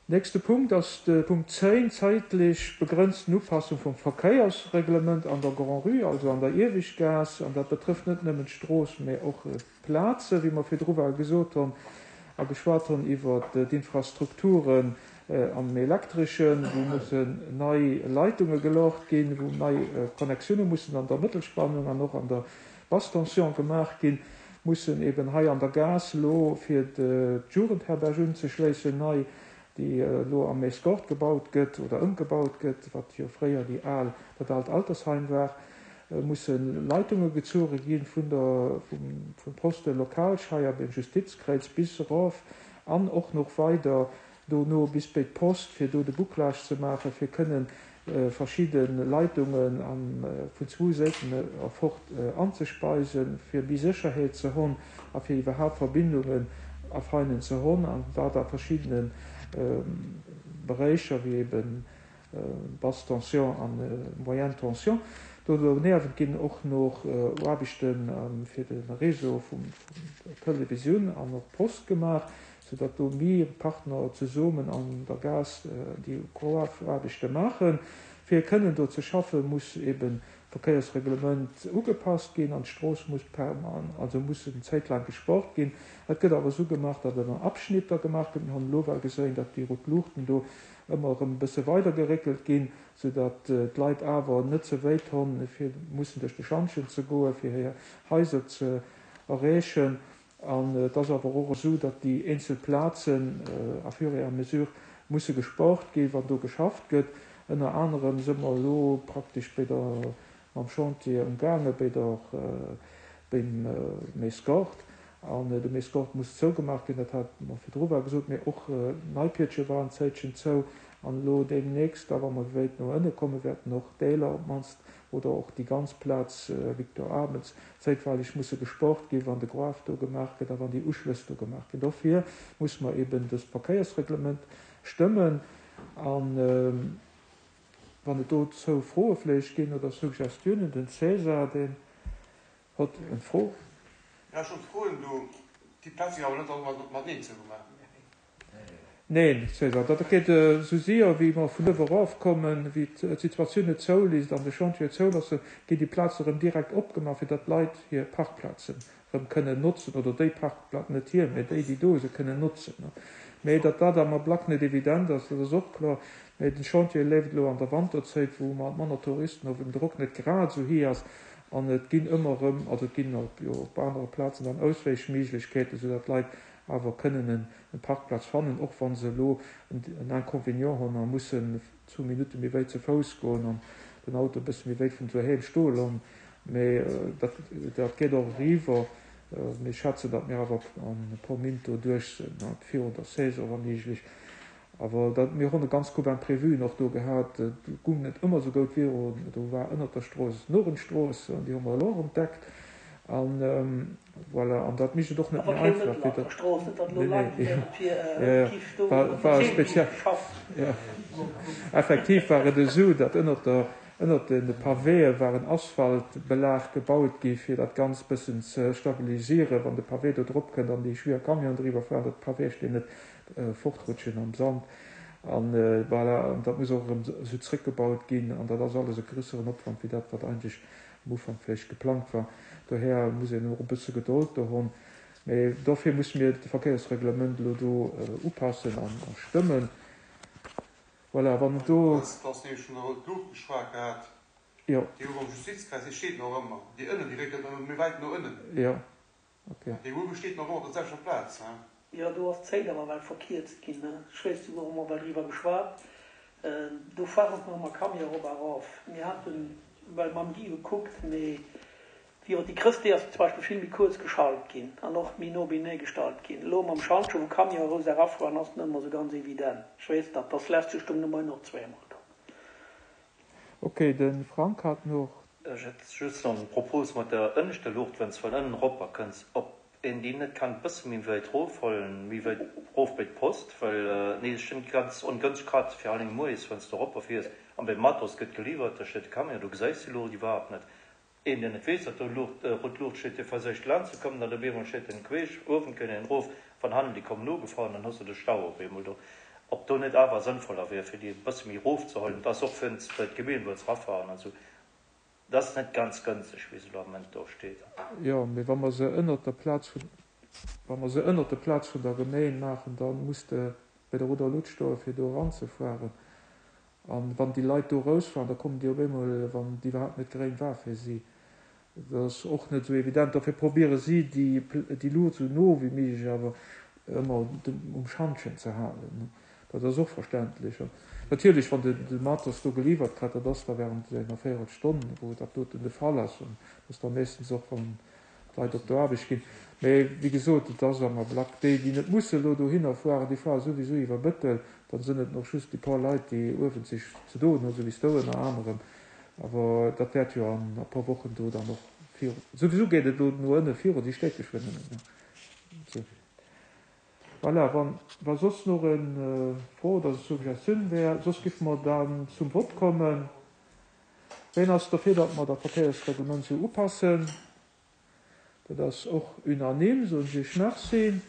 Nächste Punkt ass de Punkt 10, zäitlech begrënzten Upassung vum Verkéiersreglement an der Grand-Rue, also an der Ieweschtgaass. An dat betrëfft net nëmmen d'Strooss, mä och d'Plazen, wéi mer virdru war gesot hunn a geschwat hunn iwwert d'Infrastrukturen am Elektreschen, wou mussen nei Leitunge geloocht ginn, wou nei Connexioune mussen an der Mëttelspannung an och an der Basse tension gemaach ginn, mussen eben hei an der Gaass elo fir d'Jugendherberg unzeschléissen, nei, déi elo am Escort gebaut gëtt oder ëmgebaut gëtt, wat jo fréier déi al, dat aalt Altersheim war, musse Leitunge gezuere gi vun der, vum Poste Lokalscheier beim Justizkräiz bis erof an och nach weider dono bis béi d'Post, fir do de Bouclage ze maachen, fir kënnen verschidde Leitungen vun zwou Séiten erfort anzespeisen, fir méi Sécherheet ze honn a fir iwwerhaapt Verbindungen a Feinen ze honn, an dat a verschiddene Beréicher, wéi ebe Basse tension a Moyenne tension. Do doniewent ginn och nach Aarbechte fir de Réseau vun der Télévisioun an och Post gemaach. sou datt do méi Partner zesummen an der Gaass déi Aarbechte maachen. Fir kënnen do ze schaffen, muss eben d'Verkéiersreglement ugepasst ginn an d'Strooss muss perman, also muss eng Zäit laang gesport ginn. Et gëtt awer esou gemaach, datt et an Abschnitter gemaach gëtt. Mir hunn elo well geséin, datt déi rout Luuchten do ëmmer erëm e bësse weider geréckelt ginn, sou datt d'Leit awer net ze wéit honn, fir mussen duerch de Schantjen ze goen, fir hir Haiser ze erreechen. An et ass awer och esou, datt déi eenzel Plazen à fur et à mesure musse gesport ginn, wann do geschafft gëtt. Ënner anerem si mer elo praktesch bei der, mam Chantier umgaange bei der, beim Mescort. An de Mescort muss zougemaach ginn, dat hate mer virdru war gesot. Mee och d'Neipietche war en Zäitchen zou. An elo deemnächst da, wa mer wéit no ënne kommen, wäerten och Deeler op d'mannst oder och déi ganz Plaz Victor Armens zäitweileg musse gesport ginn, wann de Gruef do gemaach gëtt a wann déi Uschlëss do gemaach ginn. Dofir muss mer eben dëst Verkéiersreglement stëmmen. A wann et dozou Froe vläicht ginn oder Suggestiounen, den César, deen hott eng Fro. Jo, ech wollt froen, do déi Plaz sinn awer net all mateneen zougemaach. Neen, César, dat geet esou séier wéi mer vun uewe erofkommen, wéi d'Situatioun et zouléisst an de Chantier et zouloosse, ginn déi Plaze erëm direkt opgemaach, fir datt d'Leit hir Parkplazen erëm kënnen notzen, oder déi Parkplazen, net hir, mä déi, déi do se kënnen notzen. Mä datt dat am Ablack net evident ass, dat ass och kloer. Mä den Chantier leeft elo an der Wanterzéit, wou mer manner Touristen hu, wou den Drock net grad esou héi ass, an et ginn ëmmer erëm, also et ginn jo op anere Plazen dann Auswäichméiglechkeeten, soudatt d'Leit awer kënnen en Parkplaz fannen, och wa se elo en Inconvénient hunn a mussen zwou Minutte méi wéit ze Fouss goen an den Auto e bësse méi wéit vun doheem stoe loossen. Mee dat geet och eriwwer. Mir schätzen, datt mir awer an e puer Minutt do duerch sinn, virun der Saison wa méiglech. Awer dat, mir hunn e ganz Koup Imprévuen och do gehat. Et gung net ëmmer esou goud virun. Do war ënnert der Strooss d'Norenstrooss, an déi hu mer elo och entdeckt. An voilà, an dat mécht et och net méi einfach, fir datt. Nee, nee, jo, jo, war, war speziell. Jo, effektiv war et esou, datt ënnert der, ënnert de Pavéë war en Asphaltbelag gebaut gi fir dat Ganzt bëssen ze stabilisieren, wann de Pavé do drop kënnt an déi schwier Camionen driwwer fueren, datt d'Pavéesteen net fortrutschen am Sand an voilà, an dat muss och erëm esou zrëckgebaut ginn an dat ass alles e grösseren Opwand wéi dat wat eigentlech am Ufank vläicht geplangt war. Dohär muss een och e bësse Gedold do honn, mee dofir musse mir de Verkéiersreglement elo do upassen an stëmmen. Voilà, wann et do. Dat ass nämlech vun der Rout Luucht geschwat gehat, Jo. déi uewen am Justizkreis, déi steet nach ëmmer, déi ënnen, déi réckelt ëmmer méi wäit no ënnen. Jo. Ok. Déi uewe steet nach ëmmer op der selwechter Plaz, he? Jo, do ass d'Zéit awer well verkierzt ginn, ne? Ech weess, do hu mer well driwwer geschwat. Do fueren och nach ëmmer Camion erop a erof. Mir haten well mam Guy gekuckt, mee wéi och déi Chrëscht, déi ass zum Beispill vill méi kuerz geschalt ginn an och méi no beinee gestallt ginn. Elo mam Schantje, wou Camion erous erafueren, ass net ëmmer esou ganz evident. Ech weess dat, dass lästeg do de Moien och zweemol do. Ok, de Frank hat noch. Ech hätt just nach eng Propos mat der ënneschter Luucht, wann s vun ënnen eropper kënns, ob een déi net kann e bësse méi wäit rofhollen, méi wäit rof bei d'Post, well nee, ech stinn ganz ongënschteg grad fir allen moies wann s de eropper fiers an beim Matos gëtt geliwwert, da steet de Camion, do gesäis de Luucht iwwerhaapt net. Een deen net weess datt do Luucht, rout Luucht steet, dee verséicht laang ze kommen, dann op eemol steet en queesch uewen, kënnt een erof, van hannen déi kommen ugefahren, dann hues de de Stau op eemol do. Ob do net awer sënnvoller wier, fir déi e bësse méi erofzehuelen. Et ass och fir bei d'Gemeen, wou se erafahren an esou. Dat ass net ganz gënschteg, wéi se elo am Moment do steet. Jo, mee wa mer se ënnert der Plaz vun, wa mer se ënnert der Plaz vun der Gemeen maachen, da muss de bei der Rouder Luut stoen, fir do eranzefueren. An wann déi Leit do erousfahren, da kommen déi op eemol, wann et iwwerhaapt net gréng war fir si. Dat ass och net esou evident. Dofir probiere si, déi Luucht esou no wéi méiglech awer ëmmer um Schantjen ze halen. Dat ass och verständlech. An natierlech, wann de de Matos do geliwwert kritt, dat ass da während enger Véierelstonn, wou dat doten de Fall ass. An dat ass da meeschtens och, wann d'Leit op d'Aarbecht ginn. Mee wéi gesot, et ass am Ablack déi, déi net musse elo dohinner fueren, déi fuere souwisou iwwer Bëttel. Dann sinn et nach just déi puer Leit, déi uewen sech ze doen hunn, esou wéi s du ënner anerem. Awer dat wäert jo an e puer Wochen do dann och viru. Souwisou geet et elo no ënne viru, déi steet geschwënn ënnen. Esou. Voilà, wann, wa soss nach e Fro oder Suggestioun wär, soss giffe mer dann zum Vott kommen. Ween ass derfir, datt mer dat Verkéiersreglement esou upassen? Dat ass och unanime, soen ech Iech Merci.